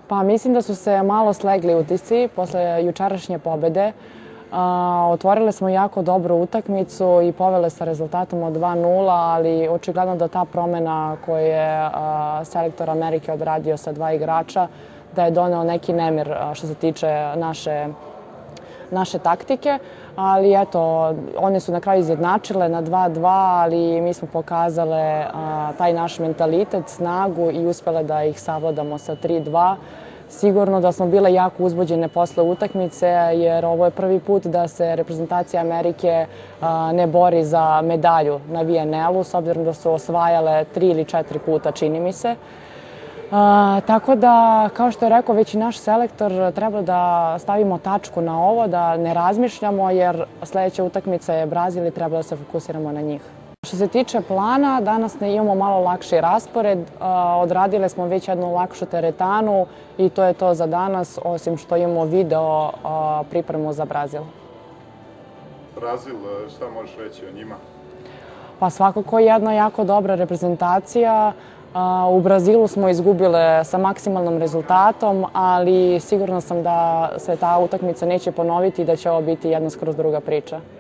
Pa mislim da su se malo slegli utisci posle jučerašnje pobede. Otvorile smo jako dobru utakmicu i povele sa rezultatom od 2:0, ali očigledno da ta promena koju je selektor Amerike odradio sa 2 igrača, da je doneo neki nemir što se tiče naše taktike, ali eto, one su na kraju izjednačile na 2:2, ali mi smo pokazale taj naš mentalitet, snagu i uspele da ih savladamo sa 3:2. Sigurno da smo bile jako uzbuđene posle utakmice, jer ovo je prvi put da se reprezentacija Amerike ne bori za medalju na VNL-u, s obzirom da su osvajale 3 ili 4 puta, čini mi se. Tako da, kao što je rekao već i naš selektor, treba da stavimo tačku na ovo, da ne razmišljamo, jer sledeća utakmica je Brazil i treba da se fokusiramo na njih. Što se tiče plana, danas imamo malo lakši raspored. Odradile smo već jednu lakšu teretanu i to je to za danas, osim što imamo video pripremu za Brazil. Brazil, šta možeš reći o njima? Pa svakako jedna jako dobra reprezentacija. U Brazilu smo izgubile sa maksimalnom rezultatom, ali sigurna sam da se ta utakmica neće ponoviti i da će ovo biti jedna skroz druga priča.